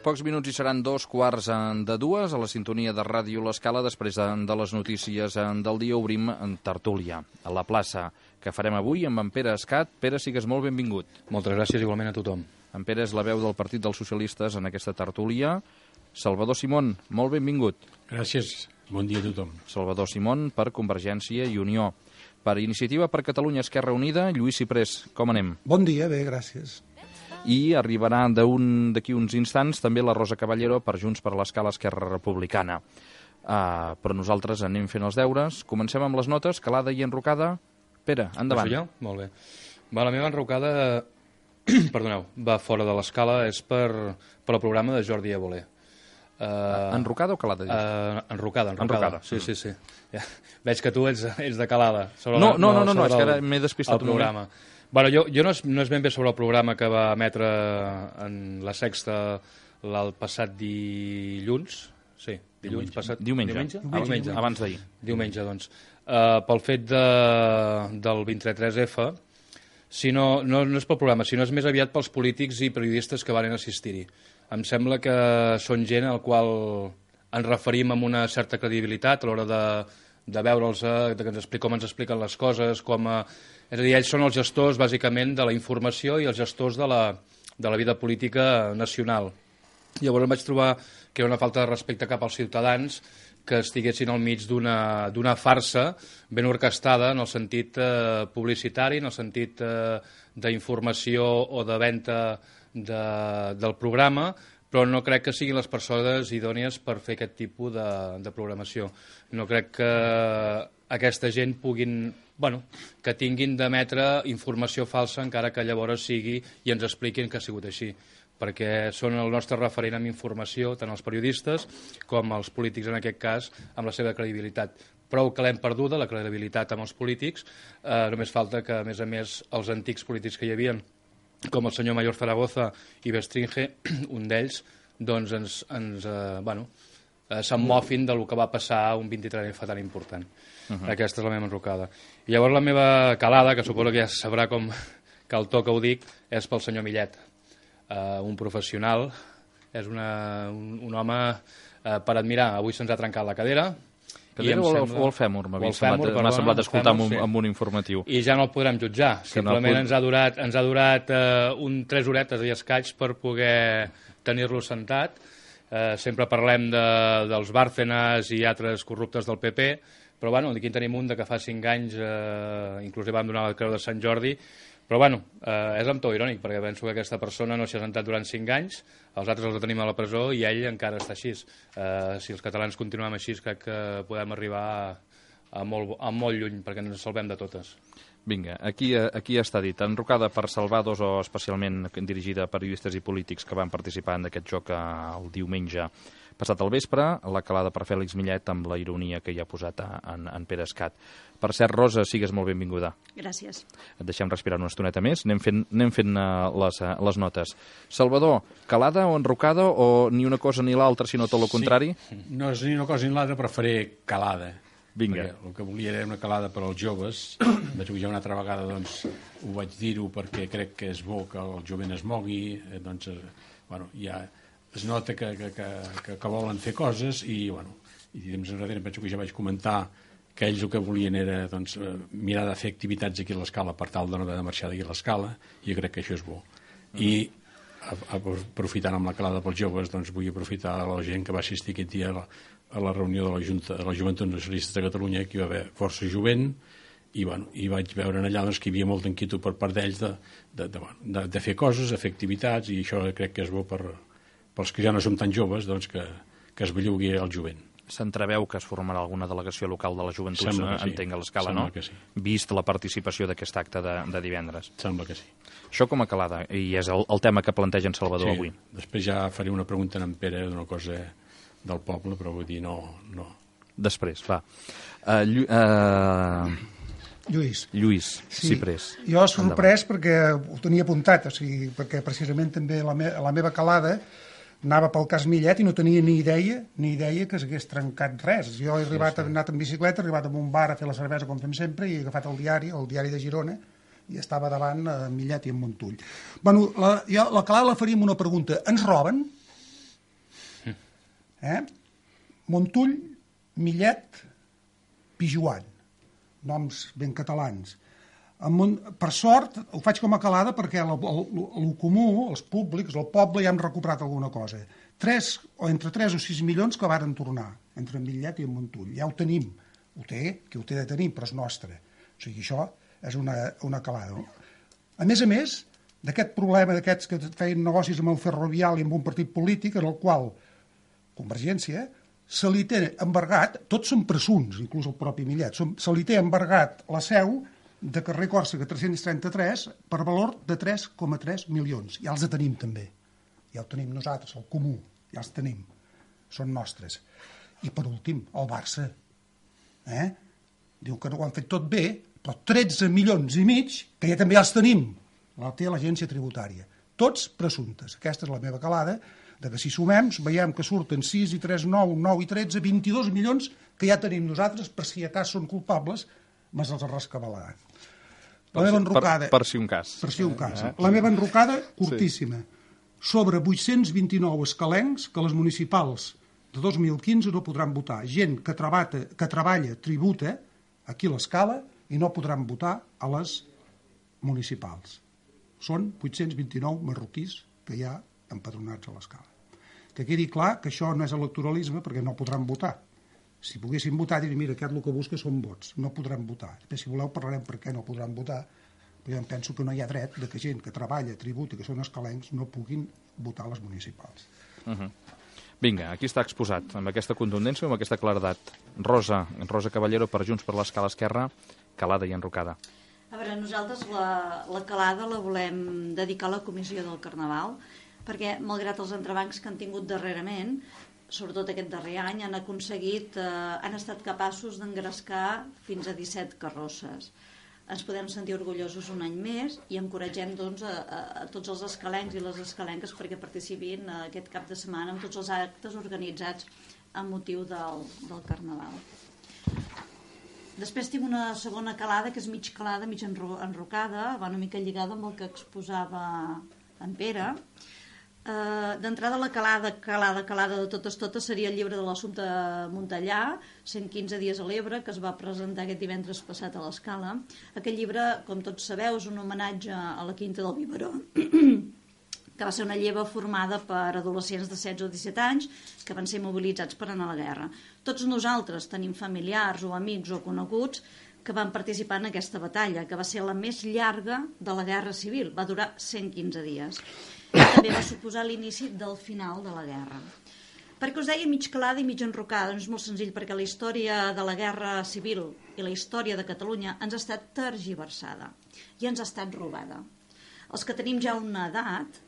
Pocs minuts i seran 2:15 a la sintonia de Ràdio L'Escala. Després de les notícies del dia obrim en tertúlia a la plaça que farem avui amb en Pere Escat. Pere, sigues molt benvingut. Moltes gràcies igualment a tothom. En Pere és la veu del Partit dels Socialistes en aquesta tertúlia. Salvador Simón, molt benvingut. Gràcies, bon dia a tothom. Salvador Simón per Convergència i Unió. Per Iniciativa per Catalunya Esquerra Unida, Lluís Ciprés, com anem? Bon dia, bé, gràcies. I arribarà d'aquí uns instants també la Rosa Caballero per Junts per l'Escala Esquerra Republicana. Però nosaltres anem fent els deures. Comencem amb les notes, calada i enrocada. Pere, endavant. Això ja? Molt bé. La meva enrocada, perdoneu, va fora de l'escala, és per el programa de Jordi Évole. Enrocada o calada? Enrocada. Sí. Ja. Veig que tu ets de calada. No, és que ara m'he despistat un programa. Bueno, jo no és ben bé sobre el programa que va emetre en la Sexta el passat dilluns. Sí, dilluns passat. Diumenge. Abans d'ahir. Diumenge, doncs. Pel fet del 23F, no és pel programa, sinó és més aviat pels polítics i periodistes que van assistir-hi. Em sembla que són gent al qual ens referim amb una certa credibilitat a l'hora de veure'ls, com ens expliquen les coses, és a dir, ells són els gestors, bàsicament, de la informació i els gestors de la vida política nacional. Llavors em vaig trobar que era una falta de respecte cap als ciutadans que estiguessin al mig d'una farsa ben orquestada en el sentit publicitari, en el sentit d'informació o de venda del programa, però no crec que siguin les persones idònies per fer aquest tipus de programació. No crec que aquesta gent que tinguin d'emetre informació falsa encara que llavors sigui i ens expliquin que ha sigut així, perquè són el nostre referent amb informació, tant els periodistes com els polítics en aquest cas, amb la seva credibilitat. Prou que l'hem perduda, la credibilitat amb els polítics, només falta que, a més, els antics polítics que hi havia, com el senyor Mayor Zaragoza i Bestringe, un d'ells, doncs se'n mofin del que va passar un 23F tan important. Aquesta és la meva enrocada. I llavors la meva calada, que suposo que ja sabrà com que el to que ho dic, és pel senyor Millet. Un professional, és un home per admirar. Avui se'ns ha trencat la cadera. Cadera o el fèmur? M'ha semblat escoltar amb un informatiu. I ja no el podrem jutjar. Simplement ens ha durat 3 horetes i escaig per poder tenir-lo sentat. Sempre parlem dels Bárcenas i altres corruptes del PP, però aquí en tenim un que fa 5 anys inclús vam donar la creu de Sant Jordi. Però és amb to irònic, perquè penso que aquesta persona no s'hi ha sentat durant 5 anys, els altres els tenim a la presó i ell encara està així. Si els catalans continuem així, crec que podem arribar a molt lluny, perquè ens salvem de totes. Vinga, aquí està dit. Enrocada per salvados o especialment dirigida a periodistes i polítics que van participar en aquest joc el diumenge passat al vespre, la calada per Fèlix Millet amb la ironia que hi ha posat en Pere Escat. Per cert, Rosa, sigues molt benvinguda. Gràcies. Et deixem respirar una estoneta més. Anem fent les notes. Salvador, calada o enrocada o ni una cosa ni l'altra, sinó tot el contrari? No és ni una cosa ni l'altra, però faré calada. Vinga. Perquè el que volia era una calada per als joves. Vaig ja una altra vegada ho vaig dir-ho perquè crec que és bo que el jovent es mogui. Ja es nota que volen fer coses i temps enrere penso que ja vaig comentar que ells el que volien era mirar de fer activitats aquí a l'Escala per tal de no haver de marxar d'aquí a l'Escala, i jo crec que això és bo. I aprofitant amb la calada pels joves, vull aprofitar la gent que va assistir aquest dia a la reunió de la Joventut Nacionalista de Catalunya, que hi va haver força jovent, i vaig veure allà que hi havia molta inquietud per part d'ells de fer coses, de fer activitats, i això crec que és bo pels que ja no som tan joves, que es bellugui el jovent. S'entreveu que es formarà alguna delegació local de la joventut, entenc, a l'Escala, no? Sembla que sí. Vist la participació d'aquest acte de divendres. Sembla que sí. Això com a calada, i és el tema que planteja en Salvador avui. Després ja faré una pregunta a en Pere d'una cosa del poble, però vull dir, no. Després, va. Lluís Ciprés. Jo sorprès perquè ho tenia apuntat, perquè precisament també la meva calada anava pel cas Millet i no tenia ni idea que s'hagués trencat res. Jo he anat en bicicleta, he arribat a un bar a fer la cervesa com fem sempre i he agafat el diari de Girona, i estava davant Millet i en Montull. La calada la faria amb una pregunta. Ens roben? Montull, Millet, Pijuan, noms ben catalans. Per sort, ho faig com a calada perquè el comú, els públics, el poble ja hem recuperat alguna cosa. Entre 3 o 6 milions que varen tornar, entre Millet i Montull. Ja ho tenim. Ho té, qui ho té de tenir, però és nostre. O sigui, això és una calada. A més, d'aquest problema d'aquests que feien negocis amb el ferrovial i amb un partit polític, en el qual Convergència se li té embargat, tots són presumpts, inclús el propi Millet, se li té embargat la seu de carrer Còrsega 333 per valor de 3,3 milions. Ja els tenim també. Ja ho tenim nosaltres, el comú. Ja els tenim. Són nostres. I per últim, el Barça. Diu que no ho han fet tot bé, però 13 milions i mig, que ja també els tenim. La té l'agència tributària. Tots presumptes. Aquesta és la meva calada, de que si sumem, veiem que surten 6 i 3, 9, 9 i 13, 22 milions que ja tenim nosaltres, per si a cas són culpables, mas els rescabalaran. La meva enrocada... Per si un cas. Per si un cas. La meva enrocada, curtíssima. Sobre 829 escalencs que les municipals de 2015 no podran votar. Gent que treballa, tributa, aquí a l'Escala, i no podran votar a les municipals. Són 829 marroquís que hi ha empadronats a l'Escala. Que quedi clar que això no és electoralisme perquè no podran votar. Si poguessin votar, diria, mira, aquest el que busca són vots. No podran votar. Després, si voleu, parlarem per què no podran votar, però jo em penso que no hi ha dret de que gent que treballa, tributa, que són escalencs, no puguin votar a les municipals. Vinga, aquí està exposat, amb aquesta contundència, amb aquesta claredat. Rosa Caballero per Junts per l'Escala Esquerra, calada i enrocada. A veure, nosaltres la calada la volem dedicar a la comissió del Carnaval, perquè, malgrat els entrebancs que han tingut darrerament, sobretot aquest darrer any, han estat capaços d'engrescar fins a 17 carrosses. Ens podem sentir orgullosos un any més i encoratgem doncs, a tots els escalencs i les escalenques perquè participin aquest cap de setmana en tots els actes organitzats amb motiu del Carnaval. Després tinc una segona calada, que és mig calada, mig enrocada, va una mica lligada amb el que exposava en Pere. D'entrada, la calada de totes seria el llibre de l'Assumpte Montellà, 115 dies a l'Ebre, que es va presentar aquest divendres passat a l'Escala. Aquest llibre, com tots sabeu, és un homenatge a la Quinta del Biberó, que va ser una lleva formada per adolescents de 16 o 17 anys que van ser mobilitzats per anar a la guerra. Tots nosaltres tenim familiars o amics o coneguts que van participar en aquesta batalla, que va ser la més llarga de la Guerra Civil, va durar 115 dies. I també va suposar l'inici del final de la guerra. Per què us deia mig calada i mig enrocada? Doncs és molt senzill, perquè la història de la Guerra Civil i la història de Catalunya ens ha estat tergiversada i ens ha estat robada. Els que tenim ja una edat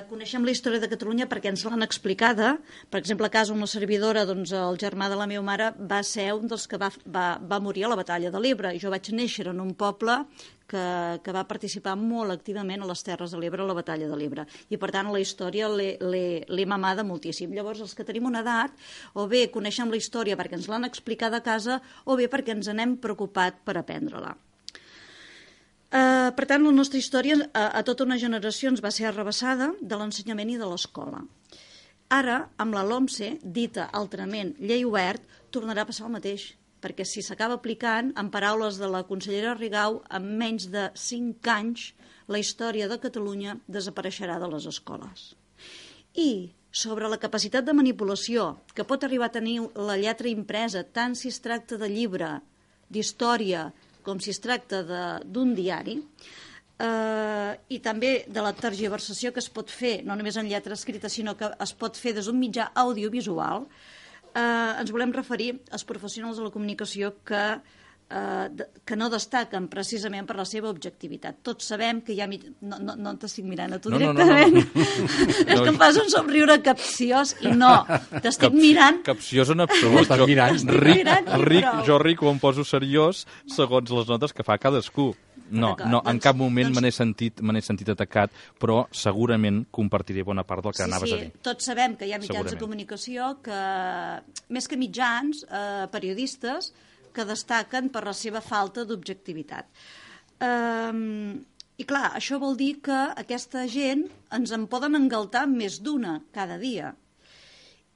coneixem la història de Catalunya perquè ens l'han explicada. Per exemple, a casa, una servidora, doncs, el germà de la meva mare va ser un dels que va morir a la batalla de l'Ebre. Jo vaig néixer en un poble que va participar molt activament a les Terres de l'Ebre, a la batalla de l'Ebre. I, per tant, la història l'he mamada moltíssim. Llavors, els que tenim una edat, o bé coneixem la història perquè ens l'han explicada a casa, o bé perquè ens n'hem preocupat per aprendre-la. Per tant, la nostra història a tota una generació ens va ser arrabassada de l'ensenyament i de l'escola. Ara, amb la LOMSE, dita altrament llei obert, tornarà a passar el mateix, perquè si s'acaba aplicant, en paraules de la consellera Rigau, en menys de 5 anys, la història de Catalunya desapareixerà de les escoles. I sobre la capacitat de manipulació que pot arribar a tenir la lletra impresa, tant si es tracta de llibre, d'història, com si es tracta d'un diari, i també de la tergiversació que es pot fer, no només en lletra escrita, sinó que es pot fer des d'un mitjà audiovisual, ens volem referir als professionals de la comunicació que no destaquen precisament per la seva objectivitat. Tots sabem que hi ha... No t'estic mirant a tu directament. És que em fas un somriure capciós i no, t'estic mirant... Capciós en absolut. Jo ric o em poso seriós segons les notes que fa cadascú. No, en cap moment me n'he sentit atacat, però segurament compartiré bona part del que anaves a dir. Sí, tots sabem que hi ha mitjans de comunicació que, més que mitjans, periodistes, que destaquen per la seva falta d'objectivitat. I clar, això vol dir que aquesta gent ens en poden engaltar més d'una cada dia.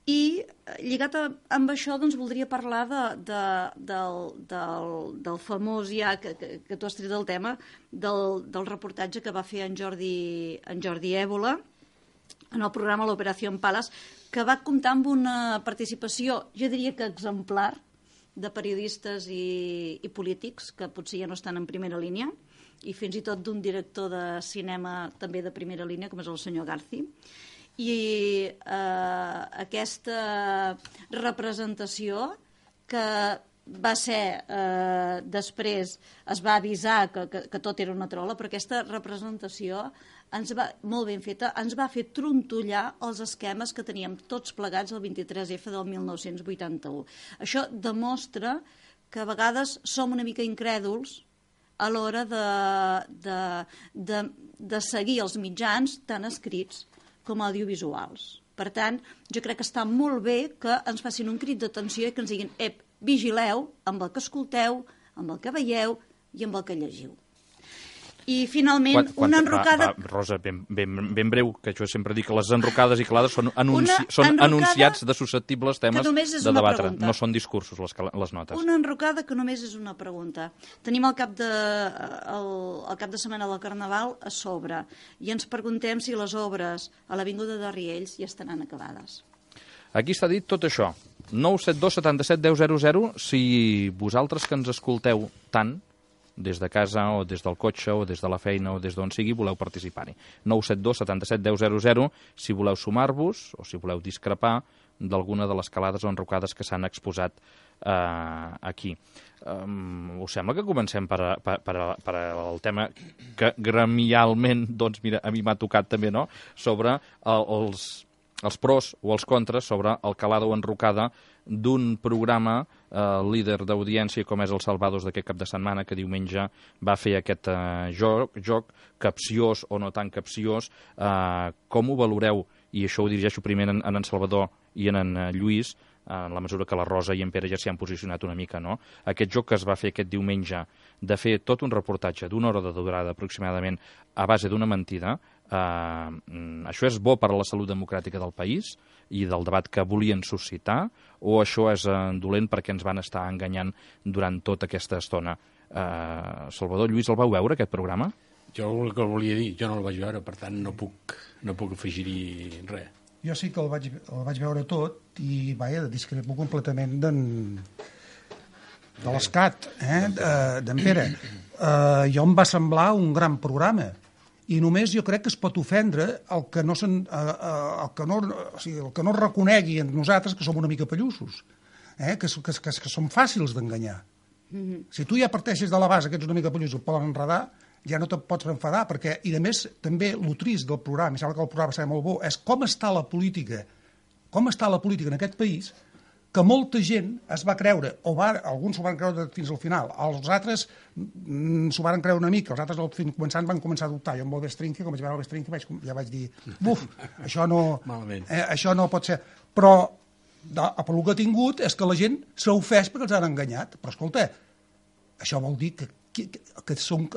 I lligat amb això, doncs, voldria parlar del famós, ja que tu has tret el tema, del reportatge que va fer en Jordi Évole en el programa l'Operació Pales, que va comptar amb una participació, jo diria que exemplar, de periodistes i polítics que potser ja no estan en primera línia, i fins i tot d'un director de cinema també de primera línia, com és el senyor Garci. I aquesta representació que va ser, després es va avisar que tot era una trola, però aquesta representació molt ben feta, ens va fer trontollar els esquemes que teníem tots plegats el 23F del 1981. Això demostra que a vegades som una mica incrèduls a l'hora de seguir els mitjans tant escrits com audiovisuals. Per tant, jo crec que està molt bé que ens facin un crit d'atenció i que ens diguin vigileu amb el que escolteu, amb el que veieu i amb el que llegiu. I finalment, una enrocada... Rosa, ben breu, que jo sempre dic que les enrocades i calades són anunciats de susceptibles temes de debatre. No són discursos, les notes. Una enrocada que només és una pregunta. Tenim el cap de setmana del Carnaval a sobre i ens preguntem si les obres a l'Avinguda de Riells ja estaran acabades. Aquí està dit tot això. 972 77 10 00, si vosaltres que ens escolteu tant, des de casa o des del cotxe o des de la feina o des d'on sigui, voleu participar-hi. 972 77 10 00, si voleu sumar-vos o si voleu discrepar d'alguna de les calades o enrocades que s'han exposat aquí. Us sembla que comencem per el tema que gremialment, doncs mira, a mi m'ha tocat també, no?, sobre els pros o els contres sobre el calada o enrocada d'un programa líder d'audiència com és el Salvados d'aquest cap de setmana, que diumenge va fer aquest joc capciós o no tan capciós. Com ho valoreu? I això ho dirigeixo primer en en Salvador i en Lluís, en la mesura que la Rosa i en Pere ja s'hi han posicionat una mica, no? Aquest joc que es va fer aquest diumenge, de fer tot un reportatge d'una hora de durada aproximadament a base d'una mentida, això és bo per a la salut democràtica del país i del debat que volien suscitar, o això és dolent perquè ens van estar enganyant durant tota aquesta estona? Salvador, Lluís, el vau veure, aquest programa? Jo el que volia dir, jo no el vaig veure, per tant no puc afegir-hi res. Jo sí que el vaig veure tot i, vaja, discrepo completament de l'Escat, d'en Pere. Jo em va semblar un gran programa i només jo crec que es pot ofendre el que no reconegui en nosaltres que som una mica pellussos, que som fàcils d'enganyar. Si tu ja parteixes de la base que ets una mica pellussos i et poden enredar, ja no te'n pots enfadar, perquè, i a més, també el trist del programa, i sembla que el programa serà molt bo, és com està la política en aquest país, que molta gent es va creure, alguns s'ho van creure fins al final, els altres s'ho van creure una mica, els altres començant van començar a dubtar. Jo amb el Bestrinque, com vaig veure el Bestrinque, ja vaig dir, això no pot ser. Però el que ha tingut és que la gent s'ha ofès perquè els han enganyat. Però escolta, això vol dir que som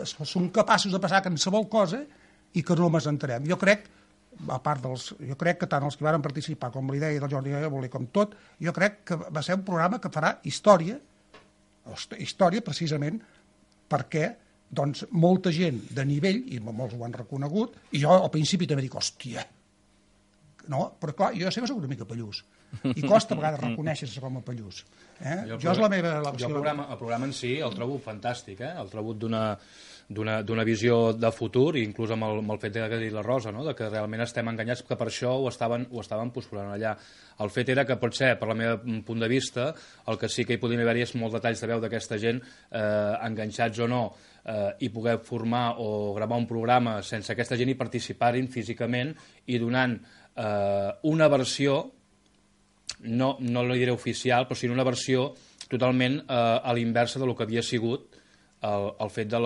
capaços de passar qualsevol cosa i que no ens enterem. Jo crec que tant els que van participar com la idea del Jordi Évole com tot, jo crec que va ser un programa que farà història precisament perquè doncs, molta gent de nivell, i molts ho han reconegut, i jo al principi també dic, hòstia, no? Però clar, jo sempre soc una mica pallús i costa a vegades reconèixer-se com a pallús. Jo és la meva... El programa en si el trobo fantàstic, el trobo d'una visió de futur, inclús amb el fet que ha dit la Rosa, no? De que realment estem enganyats, que per això ho estaven posposant allà. El fet era que potser, per la meva punt de vista, el que sí que hi podien haver-hi és molts detalls de veu d'aquesta gent, enganxats o no, i poder formar o gravar un programa sense aquesta gent i participar-hi físicament i donant una versió, no la diré oficial, però sí una versió totalment a l'inversa del que havia sigut el fet del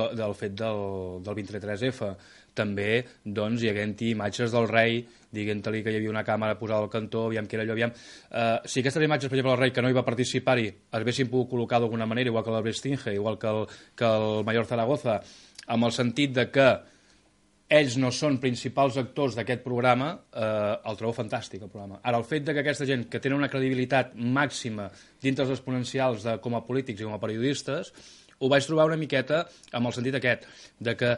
23F. També, doncs, hi haguent-hi imatges del rei, dient-li que hi havia una càmera posada al cantó, aviam què era allò, Si aquestes imatges, per exemple, del rei, que no hi va participar-hi, es haguessin pogut col·locar d'alguna manera, igual que el Brestinge, igual que el Mayor Zaragoza, amb el sentit de que ells no són principals actors d'aquest programa, el trobo fantàstic, el programa. Ara, el fet de que aquesta gent que tenen una credibilitat màxima dintre els exponencials com a polítics i com a periodistes, ho vaig trobar una miqueta amb el sentit aquest, de que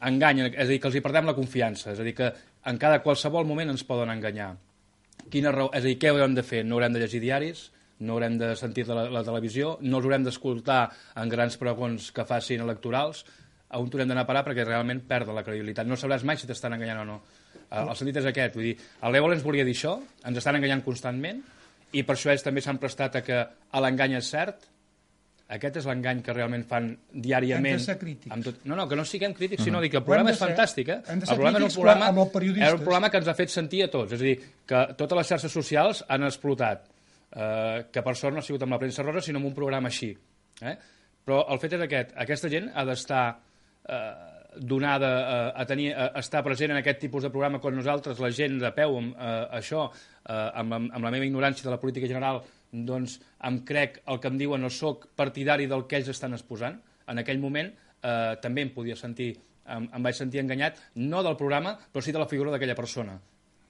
enganyen, és a dir, que els hi perdem la confiança, és a dir, que en qualsevol moment ens poden enganyar. Quina raó? És a dir, què haurem de fer? No haurem de llegir diaris, no haurem de sentir la televisió, no els haurem d'escoltar en grans pregons que facin electorals, on haurem d'anar a parar perquè realment perden la credibilitat. No sabràs mai si t'estan enganyant o no. El sentit és aquest, vull dir, l'Évola ens volia dir això, ens estan enganyant constantment, i per això ells també s'han prestat a que l'engany és cert. Aquest és l'engany que realment fan diàriament. Hem de ser crítics. No, que no siguem crítics, sinó que el programa és fantàstic. Hem de ser crítics amb els periodistes. És un programa que ens ha fet sentir a tots. És a dir, que totes les xarxes socials han explotat. Que per sort no ha sigut amb la premsa rosa, sinó amb un programa així. Però el fet és aquest. Aquesta gent ha d'estar donada a estar present en aquest tipus de programa quan nosaltres, la gent de peu, això, amb la meva ignorància de la política general, doncs em crec el que em diuen, no soc partidari del que ells estan exposant. En aquell moment també em vaig sentir enganyat, no del programa, però sí de la figura d'aquella persona,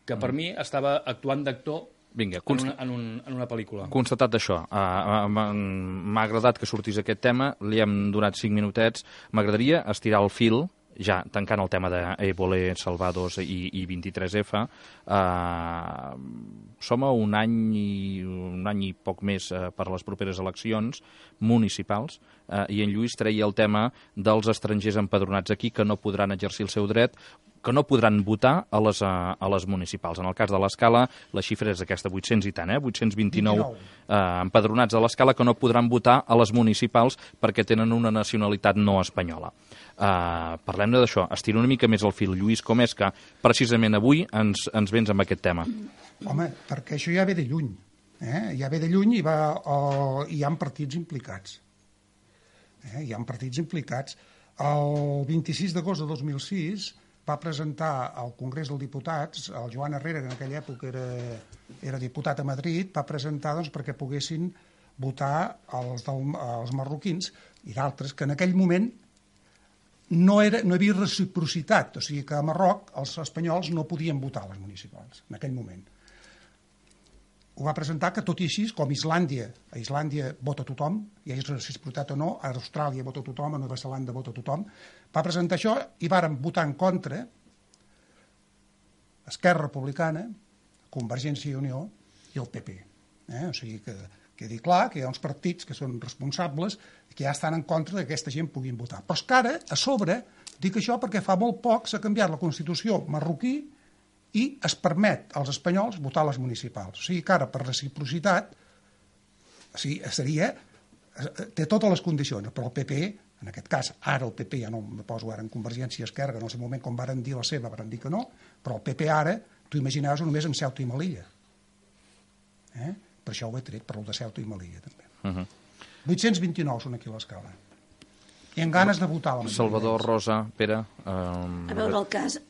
que per mi estava actuant d'actor en una pel·lícula. Constatat això, m'ha agradat que sortís aquest tema, li hem donat 5 minutets, m'agradaria estirar el fil, ja tancant el tema d'Évola, Salvados i 23F, som a un any i poc més per les properes eleccions municipals, i en Lluís treia el tema dels estrangers empadronats aquí que no podran exercir el seu dret, que no podran votar a les municipals. En el cas de l'Escala, la xifra és aquesta, 800 i tant, 829 empadronats a l'Escala que no podran votar a les municipals perquè tenen una nacionalitat no espanyola. Parlem-ne d'això, estiro una mica més el fil. Lluís, com és que precisament avui ens vens amb aquest tema? Home, perquè això ja ve de lluny. Ja ve de lluny i hi ha partits implicats. Hi ha partits implicats. El 26 d'agost de 2006 va presentar al Congrés dels Diputats, el Joan Herrera, que en aquella època era diputat a Madrid, va presentar perquè poguessin votar els marroquins i d'altres, que en aquell moment no hi havia reciprocitat, o sigui que a Marroc els espanyols no podien votar a les municipals, en aquell moment. Ho va presentar que tot i així, com a Islàndia vota tothom, hi hagi reciprocitat o no, a Austràlia vota tothom, a Nova Zelanda vota tothom, va presentar això i varen votar en contra Esquerra Republicana, Convergència i Unió i el PP. O sigui que quedi clar que hi ha uns partits que són responsables i que ja estan en contra que aquesta gent puguin votar. Però és que ara, a sobre, dic això perquè fa molt poc s'ha canviat la Constitució marroquí i es permet als espanyols votar a les municipals. O sigui que ara, per reciprocitat, té totes les condicions, però el PP, en aquest cas, ara el PP, ja no me poso ara en Convergència i Esquerra, que en el seu moment, quan varen dir la seva, varen dir que no, però el PP ara, tu imaginaves només en Ceuta i Melilla. Per això ho he tret, per el de Ceuta i Melilla, també. 829 són aquí a l'Escala. I amb ganes de votar la majoria. Salvador, Rosa, Pere... A veure, el cas...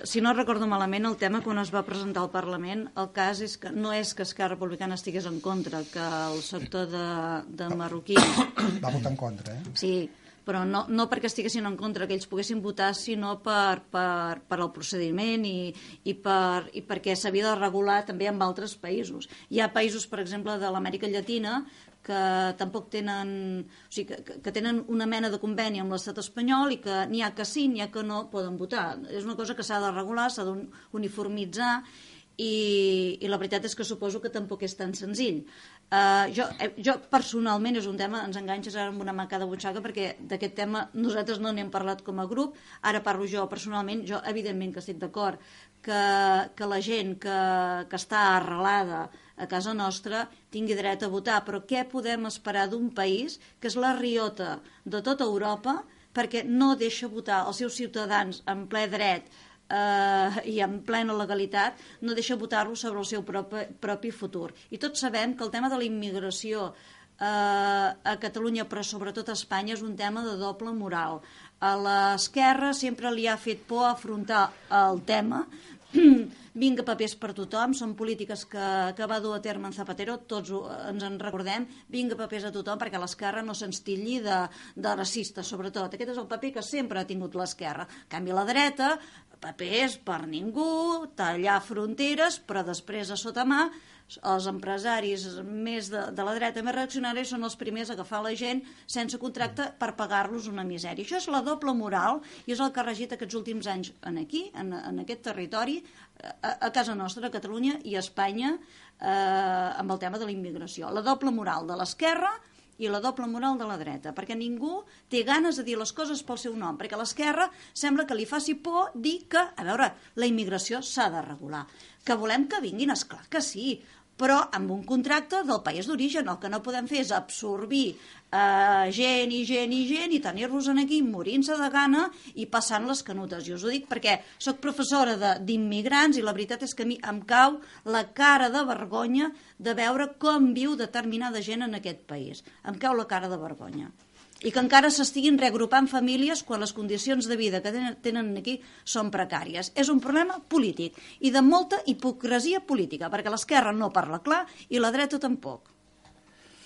Si no recordo malament, el tema quan es va presentar al Parlament, el cas és que no és que Esquerra Republicana estigués en contra, que el sector de marroquins... Va votar en contra, Sí, però no perquè estiguessin en contra que ells poguessin votar, sinó per el procediment i perquè s'havia de regular també en altres països. Hi ha països, per exemple, de l'Amèrica Llatina que tampoc tenen, o sigui, que tenen una mena de conveni amb l'estat espanyol i que n'hi ha que sí, n'hi ha que no poden votar. És una cosa que s'ha de regular, s'ha d'uniformitzar i la veritat és que suposo que tampoc és tan senzill. Jo personalment, és un tema, ens enganxes ara amb una manca de butxaca perquè d'aquest tema nosaltres no n'hem parlat com a grup, ara parlo jo personalment, jo evidentment que estic d'acord que la gent que està arrelada a casa nostra tingui dret a votar, però què podem esperar d'un país que és la riota de tota Europa perquè no deixa votar els seus ciutadans en ple dret i en plena legalitat, no deixa votar-los sobre el seu propi futur. I tots sabem que el tema de la immigració a Catalunya, però sobretot a Espanya, és un tema de doble moral. A l'esquerra sempre li ha fet por afrontar el tema vinga papers per tothom, són polítiques que va dur a terme en Zapatero, tots ens en recordem, vinga papers a tothom perquè l'esquerra no se'ns tilli de racista, sobretot. Aquest és el paper que sempre ha tingut l'esquerra. En canvi, la dreta, papers per ningú, tallar fronteres, però després a sota mà els empresaris més de la dreta més reaccionaris són els primers a agafar la gent sense contracte per pagar-los una misèria. Això és la doble moral i és el que ha regit aquests últims anys aquí, en aquest territori, a casa nostra, a Catalunya i a Espanya, amb el tema de la immigració. La doble moral de l'esquerra i la doble moral de la dreta, perquè ningú té ganes de dir les coses pel seu nom, perquè a l'esquerra sembla que li faci por dir que, a veure, la immigració s'ha de regular. Que volem que vinguin, esclar que sí, però amb un contracte del país d'origen. El que no podem fer és absorbir gent i tenir-los aquí morint-se de gana i passant les canutes. Jo us ho dic perquè sóc professora d'immigrants i la veritat és que a mi em cau la cara de vergonya de veure com viu determinada gent en aquest país. Em cau la cara de vergonya. I que encara s'estiguin reagrupant famílies quan les condicions de vida que tenen aquí són precàries. És un problema polític i de molta hipocresia política, perquè l'esquerra no parla clar i la dreta tampoc.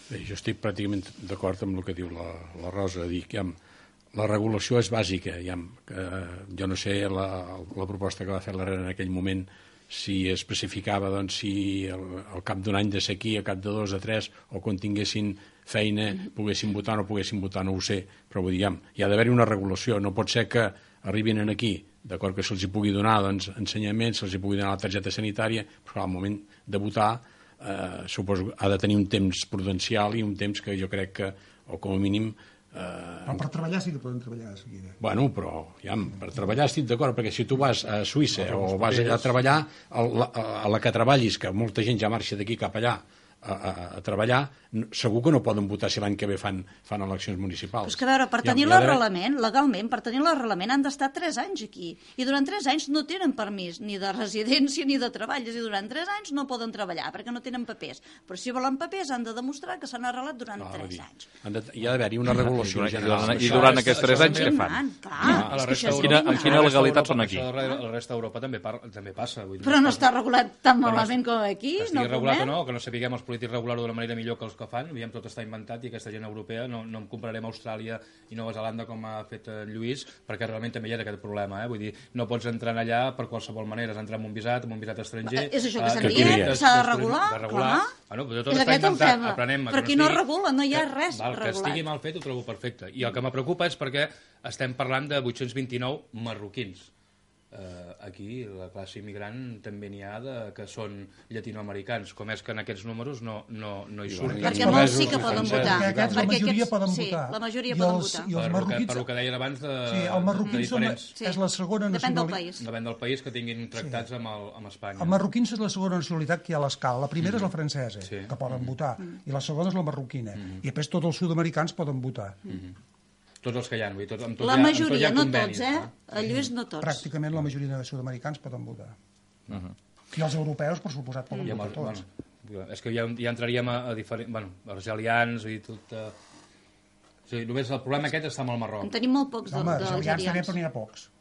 Bé, jo estic pràcticament d'acord amb el que diu la Rosa, dir que la regulació és bàsica. Jo no sé la proposta que va fer l'Herrera en aquell moment, si especificava doncs, si al cap d'un any de sequia, al cap de 2 o 3, o quan tinguessin feina poguessin votar o no poguessin votar, no ho sé, però vull dir, hi ha d'haver-hi una regulació. No pot ser que arribin aquí, d'acord que se'ls pugui donar doncs, ensenyament, se'ls pugui donar la targeta sanitària, però al moment de votar suposo ha de tenir un temps prudencial i un temps que jo crec que, o com a mínim... Però per treballar sí que poden treballar de seguida. Bueno, però per treballar estic d'acord, perquè si tu vas a Suïssa o vas allà a treballar, a la que treballis, que molta gent ja marxa d'aquí cap allà a treballar, segur que no poden votar si l'any que ve fan eleccions municipals. Però és que, a veure, per tenir l'arrelament, legalment, per tenir l'arrelament han d'estar 3 anys aquí. I durant 3 anys no tenen permís ni de residència ni de treball. És a dir, durant 3 anys no poden treballar perquè no tenen papers. Però si volen papers han de demostrar que s'han arrelat durant 3 anys. Hi ha d'haver-hi una regulació general. I durant aquests 3 anys què fan? Amb quina legalitat són aquí? A la resta d'Europa també passa. Però no està regulat tan malament com aquí. Que estigui regulat o no, que no sapiguem els polítics regular-ho d'una manera millor que els que fan, aviam, tot està inventat i aquesta gent europea, no em compararem a Austràlia i Nova Zelanda com ha fet en Lluís, perquè realment també hi ha aquest problema, vull dir, no pots entrar allà per qualsevol manera, has d'entrar amb un visat estranger... És això que estem dient, s'ha de regular, clar. És aquest el tema, però aquí no regula, no hi ha res regulat. Que estigui mal fet ho trobo perfecte, i el que me preocupa és perquè estem parlant de 829 marroquins. Aquí la classe immigrant també n'hi ha que són llatinoamericans, com és que en aquests números no hi surten. Perquè molts sí que poden votar. Aquests la majoria poden votar. La majoria poden votar. Per el que deien abans de diferents. És la segona nacionalitat. Depèn del país que tinguin tractats amb Espanya. Els marroquins és la segona nacionalitat que hi ha a l'escala. La primera és la francesa, que poden votar, i la segona és la marroquina. I després tots els sud-americans poden votar. Tots els que hi ha. La majoria, no tots, A Lluís no tots. Pràcticament la majoria de sud-americans poden votar. I els europeus, per suposat, poden votar tots. És que ja entraríem a diferents... Bueno, argelians i tot... O sigui, només el problema aquest està amb el Marroc. En tenim molt pocs d'algerians. També, però n'hi ha pocs.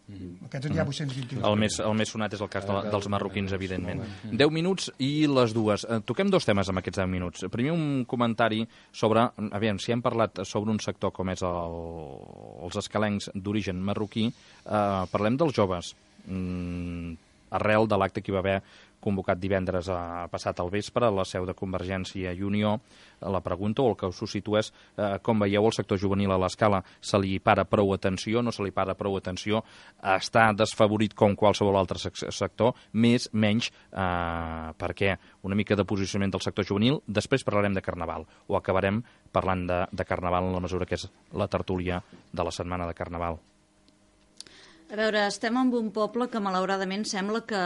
Aquests n'hi ha 821. El més sonat és el cas dels marroquins, evidentment. 10 minuts i les 2. Toquem 2 temes amb aquests 10 minuts. Primer un comentari sobre... Aviam, si hem parlat sobre un sector com és els escalencs d'origen marroquí, parlem dels joves. Arrel de l'acte que hi va haver convocat divendres passat al vespre a la seu de Convergència i Unió, la pregunta o el que us suscito és com veieu el sector juvenil a l'escala, se li para prou atenció, no se li para prou atenció, està desfavorit com qualsevol altre sector, menys, perquè una mica de posicionament del sector juvenil, després parlarem de Carnaval, o acabarem parlant de Carnaval en la mesura que és la tertúlia de la setmana de Carnaval. A veure, estem en un poble que malauradament sembla que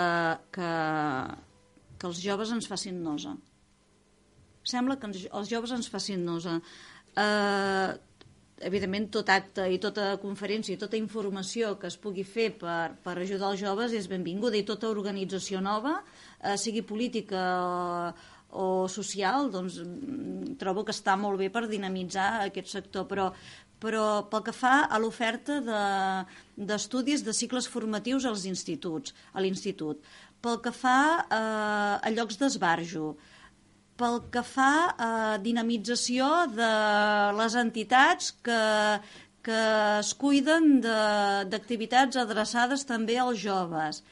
els joves ens facin nosa. Sembla que els joves ens facin nosa. Evidentment, tot acte i tota conferència i tota informació que es pugui fer per ajudar els joves és benvinguda, i tota organització nova, sigui política o social, doncs trobo que està molt bé per dinamitzar aquest sector, però pel que fa a l'oferta d'estudis de cicles formatius a l'institut, pel que fa a llocs d'esbarjo, pel que fa a dinamització de les entitats que es cuiden d'activitats adreçades també als joves.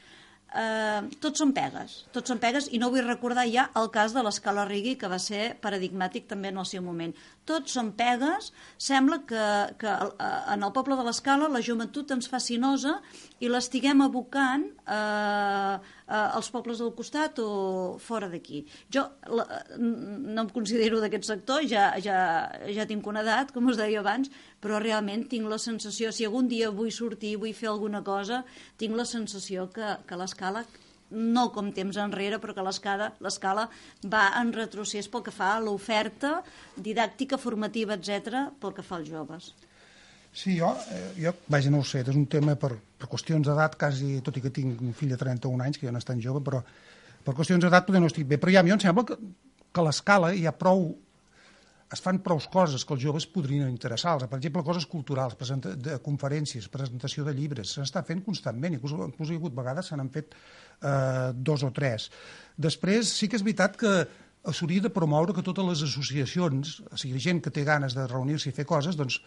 Tots són pegues i no vull recordar ja el cas de l'Escala Rigui, que va ser paradigmàtic també en el seu moment. Tots són pegues. Sembla que en el poble de l'Escala la joventut ens fa nosa i l'estiguem abocant als pobles del costat o fora d'aquí. Jo no em considero d'aquest sector, ja tinc una edat, com us deia abans, però realment tinc la sensació, si algun dia vull sortir, vull fer alguna cosa, tinc la sensació que l'Escala, no com temps enrere, però que l'Escala va en retrocés pel que fa a l'oferta didàctica, formativa, etc., pel que fa als joves. Sí, jo vaja, no ho sé, és un tema per qüestions d'edat, quasi, tot i que tinc un fill de 31 anys, que ja no és tan jove, però per qüestions d'edat potser no estic bé. Però ja a mi em sembla que a l'Escala hi ha prou... es fan prou coses que els joves podrien interessar-los. Per exemple, coses culturals, de conferències, presentació de llibres, se n'està fent constantment, inclús hi ha hagut vegades se n'han fet 2 o 3. Després, sí que és veritat que s'hauria de promoure que totes les associacions, o sigui, gent que té ganes de reunir-se i fer coses, doncs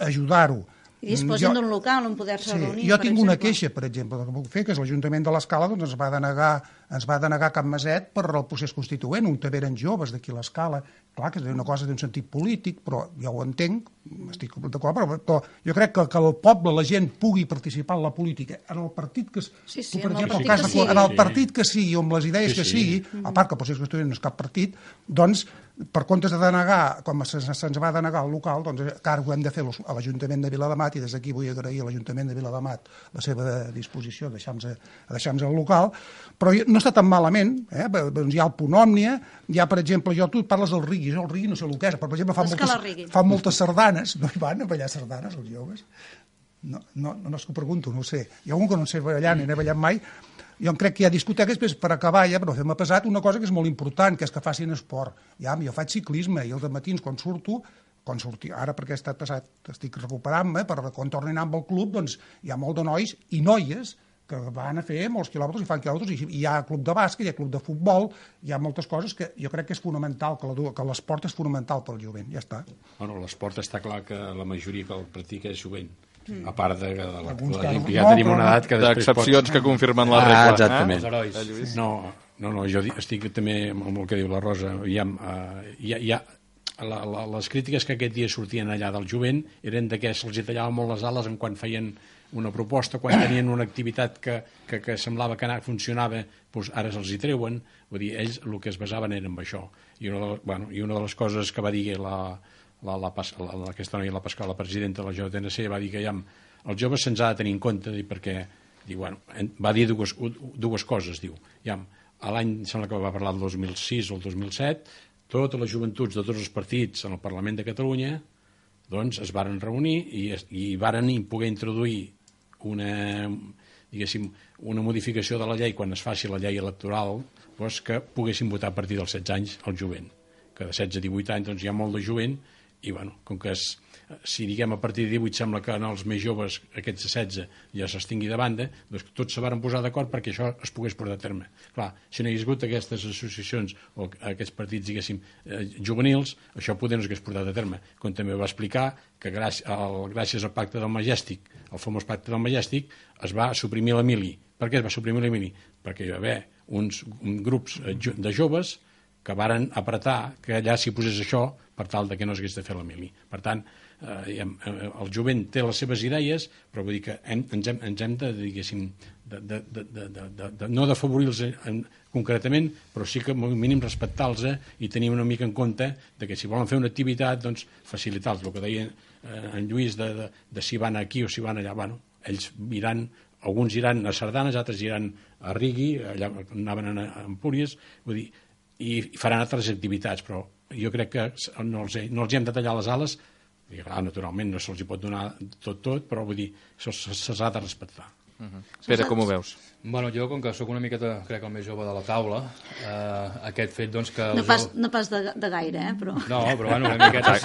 ajudar-ho. I disposin d'un local on poder-se reunir. Jo tinc una queixa, per exemple, que puc fer, que és l'Ajuntament de l'Escala ens va denegar Can Maset per el procés constituent, on també eren joves d'aquí a l'Escala. Clar, que és una cosa d'un sentit polític, però jo ho entenc, estic d'acord, però jo crec que el poble, la gent, pugui participar en la política, en el partit que en el partit que sigui, o amb les idees que sigui, a part que el procés constituent no és cap partit, doncs, per comptes de denegar, com se'ns va denegar el local, doncs ara ho hem de fer a l'Ajuntament de Viladamat, i des d'aquí vull agrair a l'Ajuntament de Viladamat la seva disposició a deixar-nos el local, però no està tan malament, doncs hi ha el Punt Òmnia, hi ha, per exemple, tu parles del Rigui, el Rigui no sé el que és, però, per exemple, fa moltes sardanes, no hi van a ballar sardanes els joves? No és que ho pregunto, no ho sé. Hi ha algun que no sé ballar, ni n'he ballat mai. Jo crec que hi ha discoteques, per acabar ja, però m'ha passat una cosa que és molt important, que és que facin esport. Jo faig ciclisme i els matins quan surto, ara perquè estic recuperant-me, quan torno a anar amb el club, doncs hi ha molt de nois i noies que van a fer molts quilòmetres i fan quilòmetres, i hi ha club de bàsquet, hi ha club de futbol, hi ha moltes coses que jo crec que és fonamental, que l'esport és fonamental pel jovent, ja està. Bueno, l'esport està clar que la majoria que el practica és jovent, a part de ja tenim una edat que d'excepcions que confirmen la regla. Exactament. No, jo estic també amb el que diu la Rosa, les crítiques que aquest dia sortien allà del jovent eren que se'ls tallava molt les ales en quan feien una proposta, quan tenien una activitat que semblava que funcionava, doncs ara se'ls hi treuen. Vull dir, ells el que es basaven era en això. I una de les coses que va dir aquesta noia, la Pascal, la presidenta de la JTNC, va dir que els joves se'ns ha de tenir en compte, perquè va dir dues coses. L'any, sembla que va parlar del 2006 o el 2007, totes les joventuts de tots els partits en el Parlament de Catalunya doncs es varen reunir i varen poder introduir una modificació de la llei quan es faci la llei electoral, doncs que poguessin votar a partir dels 16 anys el jovent, que de 16 a 18 anys doncs hi ha molt de jovent, i com que si diguem a partir de 18 sembla que en els més joves, aquests de 16, ja s'extingui de banda, doncs tots se varen posar d'acord perquè això es pogués portar a terme. Clar, si no hi hagués hagut aquestes associacions o aquests partits, diguéssim, juvenils, això poder no s'hagués portat a terme. Com també va explicar que gràcies al pacte del Majestic, el famós pacte del Majestic, es va suprimir la mili. Per què es va suprimir la mili? Perquè hi va haver uns grups de joves que varen apretar que allà s'hi posés això per tal que no s'hagués de fer la mili. Per tant, el jovent té les seves idees, però vull dir que ens hem de, diguéssim, no d'afavorir-los concretament, però sí que al mínim respectar-los i tenir una mica en compte que si volen fer una activitat, doncs facilitar-los. El que deia en Lluís de si van aquí o si van allà, ells alguns iran a sardanes, altres iran a Rigui, allà anaven a Empúries, vull dir, i faran altres activitats, però jo crec que no els hem de tallar les ales, i clar, naturalment no se'ls pot donar tot, però vull dir, se'ls ha de respectar. Pere, com ho veus? Bueno, jo, com que sóc una miqueta, crec, el més jove de la taula, aquest fet, doncs, que... No pas de gaire, però... No, però bueno, una miqueta...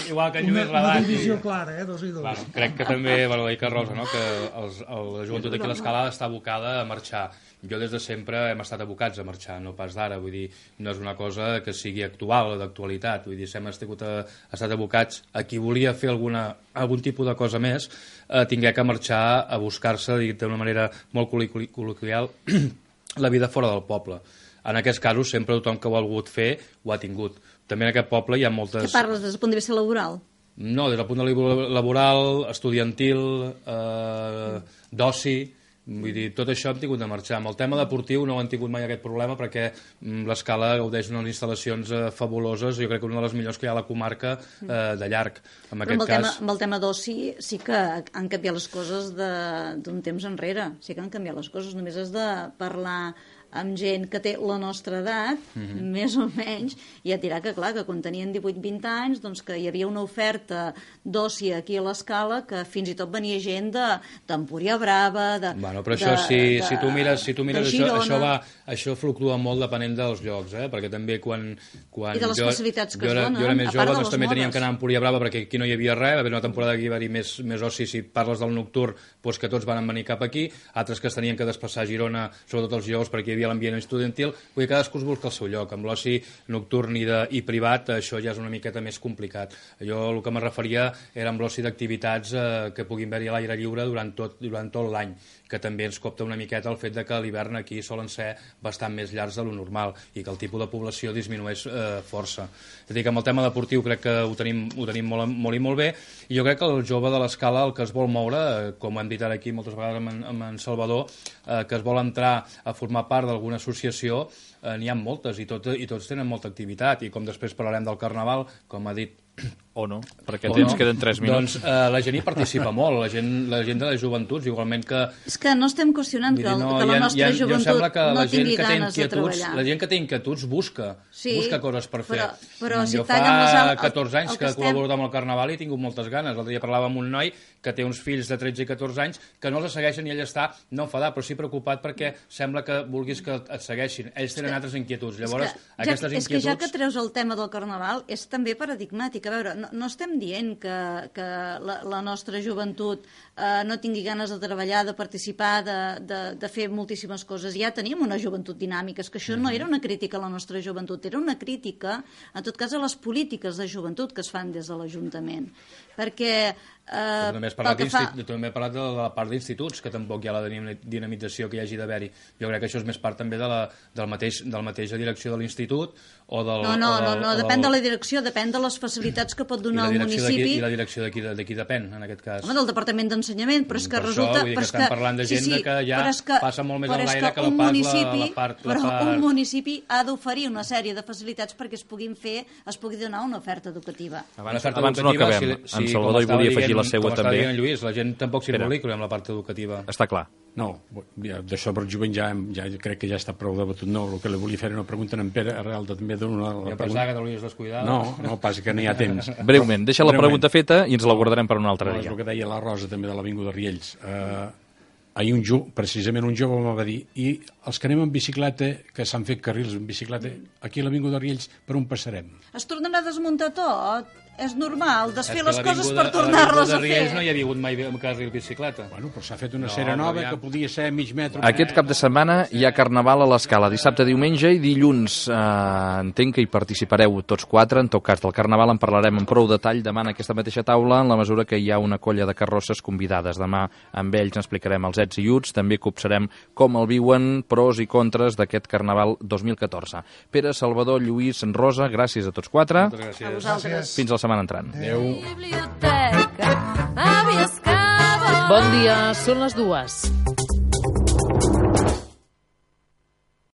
Igual que en Lluís Rabat. Una divisió clara, dos i dos. Bueno, crec que també, bueno, dic a Rosa, no?, que la joventut aquí a l'Escala està abocada a marxar. Jo des de sempre hem estat abocats a marxar, no pas d'ara, vull dir, no és una cosa que sigui actual o d'actualitat, vull dir, hem estat abocats a qui volia fer algun tipus de cosa més, tingué que marxar a buscar-se, dit d'una manera molt col·loquial, la vida fora del poble. En aquests casos, sempre tothom que ho ha volgut fer ho ha tingut. També en aquest poble hi ha moltes... Què parles des del punt de vista laboral? No, des del punt de vista laboral, estudiantil, d'oci... Vull dir, tot això hem tingut de marxar. Amb el tema deportiu no hem tingut mai aquest problema perquè l'Escala gaudeix d'unes instal·lacions fabuloses, jo crec que una de les millors que hi ha a la comarca de llarg. Amb el tema d'oci sí que han canviat les coses d'un temps enrere. Sí que han canviat les coses. Només has de parlar amb gent que té la nostra edat, més o menys, i et dirà que, clar, que quan tenien 18-20 anys, doncs que hi havia una oferta d'oci aquí a l'Escala que fins i tot venia gent d'Empúria Brava, Bueno, però això, si tu mires això fluctua molt depenent dels llocs, perquè també quan I de les facilitats que es donen, jo era més a part jove, de doncs les també teníem modes. que anar a Empúria Brava perquè aquí no hi havia res, va haver una temporada que hi va haver més oci, si parles del nocturn, doncs que tots van venir cap aquí, altres que es tenien que desplaçar a Girona, sobretot els dijous, perquè hi havia l'ambient estudiantil, vull dir, cadascú es busca el seu lloc. Amb l'oci nocturn i privat, això ja és una miqueta més complicat. Jo el que me referia era amb l'oci d'activitats que puguin haver-hi a l'aire lliure durant tot l'any, que també ens copta una miqueta el fet de que a l'hivern aquí solen ser bastant més llargs de lo normal i que el tipus de població disminueix força. És a dir, que amb el tema deportiu crec que ho tenim molt i molt bé, i jo crec que el jove de l'Escala el que es vol moure, com hem dit ara aquí moltes vegades amb en Salvador, que es vol entrar a formar part d'alguna associació, n'hi ha moltes i tots tenen molta activitat, i com després parlarem del Carnaval, com ha dit o no, perquè queden 3 minuts. Doncs la gent hi participa molt, la gent de les joventuts, igualment que... És que no estem qüestionant que la nostra joventut no tingui ganes de treballar. La gent que té inquietuds busca coses per fer. Però si jo fa 14 anys que he col·laborat amb el Carnaval i he tingut moltes ganes. L'altre dia parlava amb un noi que té uns fills de 13 i 14 anys que no els segueixen i ell està, no enfadat, però sí preocupat perquè sembla que vulguis que et segueixin. Ells tenen altres inquietuds. Llavors, aquestes inquietuds... És que ja que treus el tema del Carnaval, és també paradigmàtic. A veure, no estem dient que la nostra joventut no tingui ganes de treballar, de participar, de fer moltíssimes coses. Ja tenim una joventut dinàmica. És que això no era una crítica a la nostra joventut, era una crítica, en tot cas, a les polítiques de joventut que es fan des de l'Ajuntament. Perquè... També he parlat de la part d'instituts, que tampoc hi ha la dinamització que hi hagi d'haver-hi. Jo crec que això és més part també de la mateixa direcció de l'institut o del... No, depèn de la direcció, depèn de les facilitats que pot donar el municipi. I la direcció d'aquí depèn, en aquest cas? Home, del Departament d'Ensenyament, però és que resulta... Vull dir que estem parlant de gent que ja passa molt més en l'aire que la part... Però un municipi ha d'oferir una sèrie de facilitats perquè es pugui donar una oferta educativa. Abans no acabem. En Salvador hi volia afegir la seua també. Com està dient Lluís, la gent tampoc s'involucra amb la part educativa. Està clar. No, d'això per jovent ja crec que ja està prou debatut. No, el que li volia fer era una pregunta en Pere Arrel també d'una... Jo pensava que te l'havies descuidat. No, passa que no hi ha temps. Breument, deixa la pregunta feta i ens la guardarem per un altre dia. És el que deia la Rosa també de l'Avinguda Riells. Ahir precisament un jove m'ho va dir, i els que anem en bicicleta, que s'han fet carrils en bicicleta, aquí a l'Avinguda Riells, per on passarem? Es tornarà a desmuntar tot. És normal, desfer les coses per tornar-les a fer. A Riells no hi ha hagut mai carril bicicleta. Bueno, però s'ha fet una cera nova que podia ser mig metre. Aquest cap de setmana hi ha Carnaval a l'Escala, dissabte, diumenge i dilluns. Entenc que hi participareu tots 4, en tot cas del Carnaval en parlarem amb prou detall demà en aquesta mateixa taula, en la mesura que hi ha una colla de carrosses convidades. Demà amb ells n'explicarem els ets i uts, també copsarem com el viuen, pros i contres d'aquest Carnaval 2014. Pere, Salvador, Lluís, Rosa, gràcies a tots 4. Moltes gràcies. A vosaltres. Fins la setmana entrant. Adéu. Bon dia, són les 2.